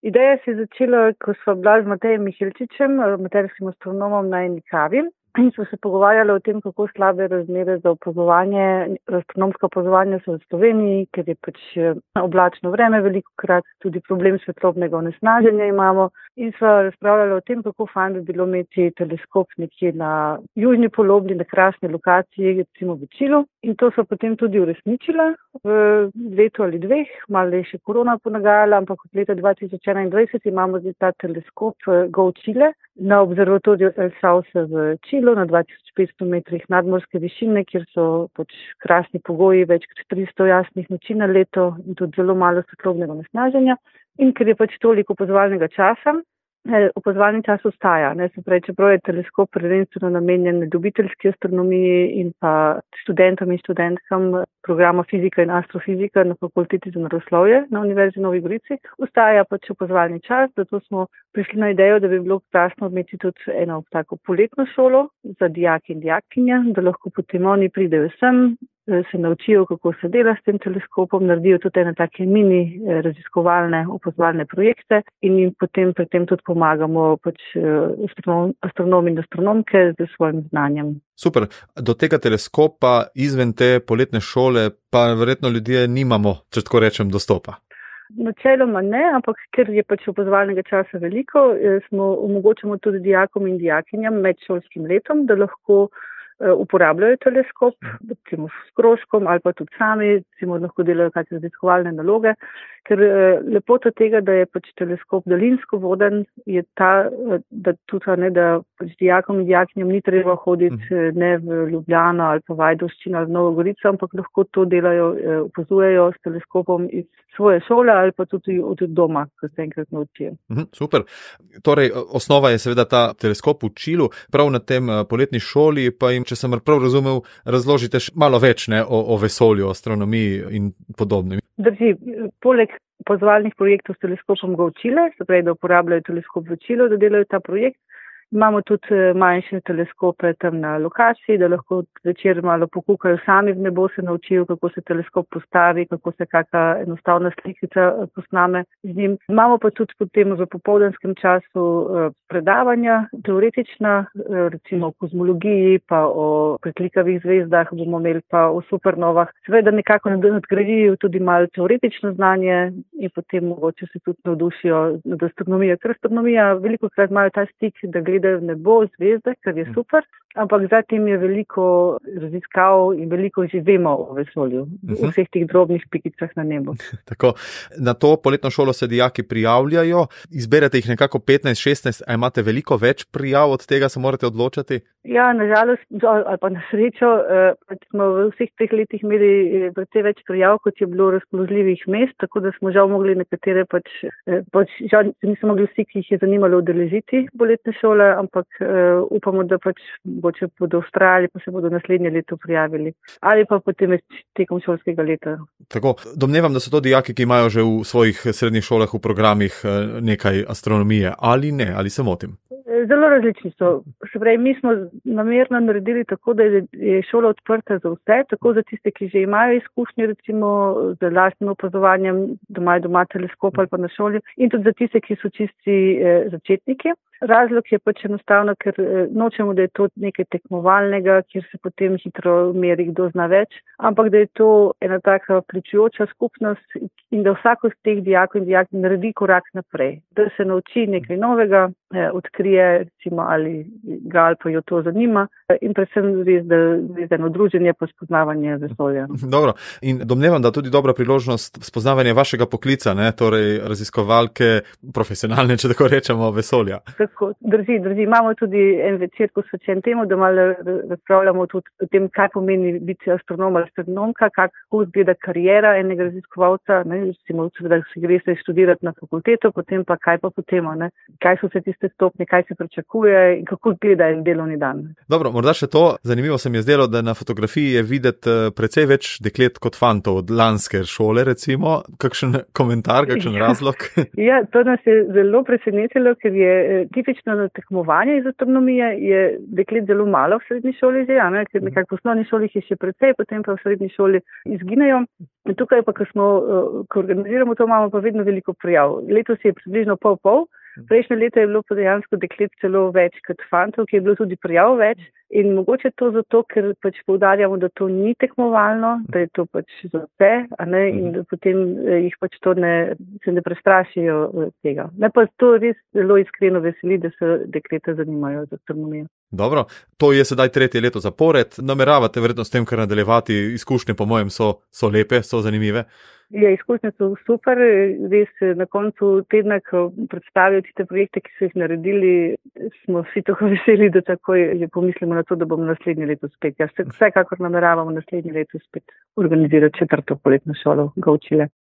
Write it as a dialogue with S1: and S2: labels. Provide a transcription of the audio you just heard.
S1: Ideja se je začela, ko sva bila z Matejem Mihelčičem, materskim astronomom na eni kavi. In smo se pogovarjali o tem, kako slabe razmere za opazovanje, astronomsko opazovanje so v Sloveniji, ker je pač oblačno vreme, velikokrat tudi problem svetlobnega onesnaženja imamo. In sva razpravljali o tem, kako fajn bi bilo imeti teleskop nekje na južni polobli, na krasni lokaciji, recimo v Čilu. In to sva potem tudi uresničila v letu ali dveh, malo je še korona ponagajala, ampak od leta 2021 imamo zdaj ta teleskop Go Chile na observatoriju El Sauce v Čilu na 2500 metrih nadmorske višine, kjer so pač krasni pogoji, več kot 300 jasnih noči na leto in tudi zelo malo svetlobnega onesnaženja. In ker je pač toliko opazovalnega časa, opazovalni čas ostaja. Se pravi, čeprav je teleskop prvenstveno namenjen ljubiteljski astronomiji in pa študentom in študentkam programa fizika in astrofizika na fakulteti za naravoslovje na Univerzi v Novi Gorici, ostaja pač opazovalni čas, zato smo prišli na idejo, da bi bilo krasno imeti tudi eno tako poletno šolo za dijake in dijakinje, da lahko potem oni pridejo sem, se naučijo, kako se dela s tem teleskopom, naredijo tudi ene take mini raziskovalne, opazovalne projekte in jim potem pri tem tudi pomagamo pač astronomi in astronomke z svojim znanjem.
S2: Super. Do tega teleskopa izven te poletne šole pa verjetno ljudje nimamo, če tako rečem, dostopa.
S1: Načeloma ne, ampak ker je pač opazovalnega časa veliko, omogočamo tudi dijakom in dijakinjam med šolskim letom, da lahko uporabljajo teleskop, recimo s krožkom ali pa tudi sami, recimo lahko delajo kakšne raziskovalne naloge, ker lepota tega, da je pač teleskop daljinsko voden, je ta, da tudi da pač dijakom in dijakinjam ni treba hoditi ne v Ljubljano ali pa Ajdovščino ali v Novo Gorico, ampak lahko to delajo, opazujejo s teleskopom iz svoje šole ali pa tudi od doma, ko se enkrat naučijo.
S2: Super. Torej, osnova je seveda ta teleskop v Čilu, prav na tem poletni šoli pa jim, če sem prav razumel, razložite malo več o vesolju, astronomiji in podobnem.
S1: Drži, poleg opazovalnih projektov s teleskopom Go Chile, se pravi, da uporabljajo teleskop v Čilu, da delajo ta projekt, imamo tudi manjše teleskope tam na lokaciji, da lahko večer malo pokukajo sami v nebo, se naučijo, kako se teleskop postavi, kako se kakšna enostavna slikica posname z njim. Imamo pa tudi potem v popoldanskem času predavanja, teoretična, recimo o kozmologiji, pa o preklikavih zvezdah bomo imeli, pa o supernovah. Seveda nekako nadgradijo tudi malo teoretično znanje in potem mogoče se tudi navdušijo nad astronomijo. Ker astronomija velikokrat imajo ta stik, da gledajo v nebo zvezde, kar je super, ampak zatem je veliko raziskav in veliko že vemo o vesolju, v vseh teh drobnih pikicah na nebu.
S2: Tako, na to poletno šolo se dijaki prijavljajo, izberete jih nekako 15-16, a imate veliko več prijav, od tega se morate odločati?
S1: Ja, nažalost, ali pa na srečo, smo v vseh teh letih imeli precej več prijav, kot je bilo razpoložljivih mest, tako da smo žal mogli nekatere žal niso mogli vsi, ki jih je zanimalo udeležiti poletne šole, ampak upamo, da pač mogoče bodo vztrajali, pa se bodo naslednje leto prijavili. Ali pa potem tekom šolskega leta.
S2: Tako, domnevam, da so to dijaki, ki imajo že v svojih srednjih šolah v programih nekaj astronomije, ali ne, ali se motim?
S1: Zelo različni so. Se pravi, mi smo namerno naredili tako, da je šola odprta za vse, tako za tiste, ki že imajo izkušnje, recimo z lastnim opazovanjem, da imajo doma teleskop ali pa na šoli, in tudi za tiste, ki so čisti začetniki. Razlog je pač enostavno, ker nočemo, da je to nekaj tekmovalnega, kjer se potem hitro meri, kdo zna več, ampak da je to ena taka vključujoča skupnost in da vsako z teh dijakov in dijakinj naredi korak naprej, da se nauči nekaj novega, odkrije, recimo, ali ga ali pa jo to zanima in predvsem res, da je eno druženje pa spoznavanje vesolja.
S2: Dobro, in domnevam, da tudi dobra priložnost spoznavanja vašega poklica, ne? Torej raziskovalke, profesionalne, če tako rečemo, vesolja.
S1: Tako, drži. Imamo tudi en večer posvečen temu, da malo razpravljamo tudi o tem, kaj pomeni biti astronom ali astronomka, kako izgleda kariera enega raziskovalca, ne, recimo, da se greste študirati na fakulteto, potem pa kaj pa potem, ne, kaj so se tiste tiste stopnje, kaj se pričakuje in kako izgleda en delovni dan.
S2: Dobro, morda še to, zanimivo se mi je zdelo, da na fotografiji je videti precej več deklet kot fantov od lanske šole, recimo. Kakšen komentar, kakšen razlog?
S1: Ja, to nas je zelo presenetilo, ker je tipično na tekmovanje iz astronomije je deklet zelo malo v srednji šoli že, ker nekako v osnovni šoli je še precej, potem pa v srednji šoli izginejo. In tukaj pa, ko organiziramo to, imamo pa vedno veliko prijav. Letos je približno pol. Prejšnje leto je bilo pa dejansko deklet celo več kot fantov, ki je bilo tudi prijav več. In mogoče to zato, ker pač poudarjamo, da to ni tekmovalno, da je to pač za vse, in da potem jih pač to se ne prestrašijo tega. Me pa to res zelo iskreno veseli, da se dekleta zanimajo za astronomijo.
S2: Dobro, to je sedaj 3. leto zapored. Nameravate verjetno s tem, kar nadaljevati, izkušnje po mojem so lepe, so zanimive?
S1: Ja, izkušnje so super, res na koncu tedna, ko predstavijo tiste projekte, ki so jih naredili, smo vsi tako veseli, da takoj pomislimo na to, da bomo naslednje leto spet. Ja, vsekakor nameravamo naslednje leto spet organizirati 4. poletno šolo v Gaučile.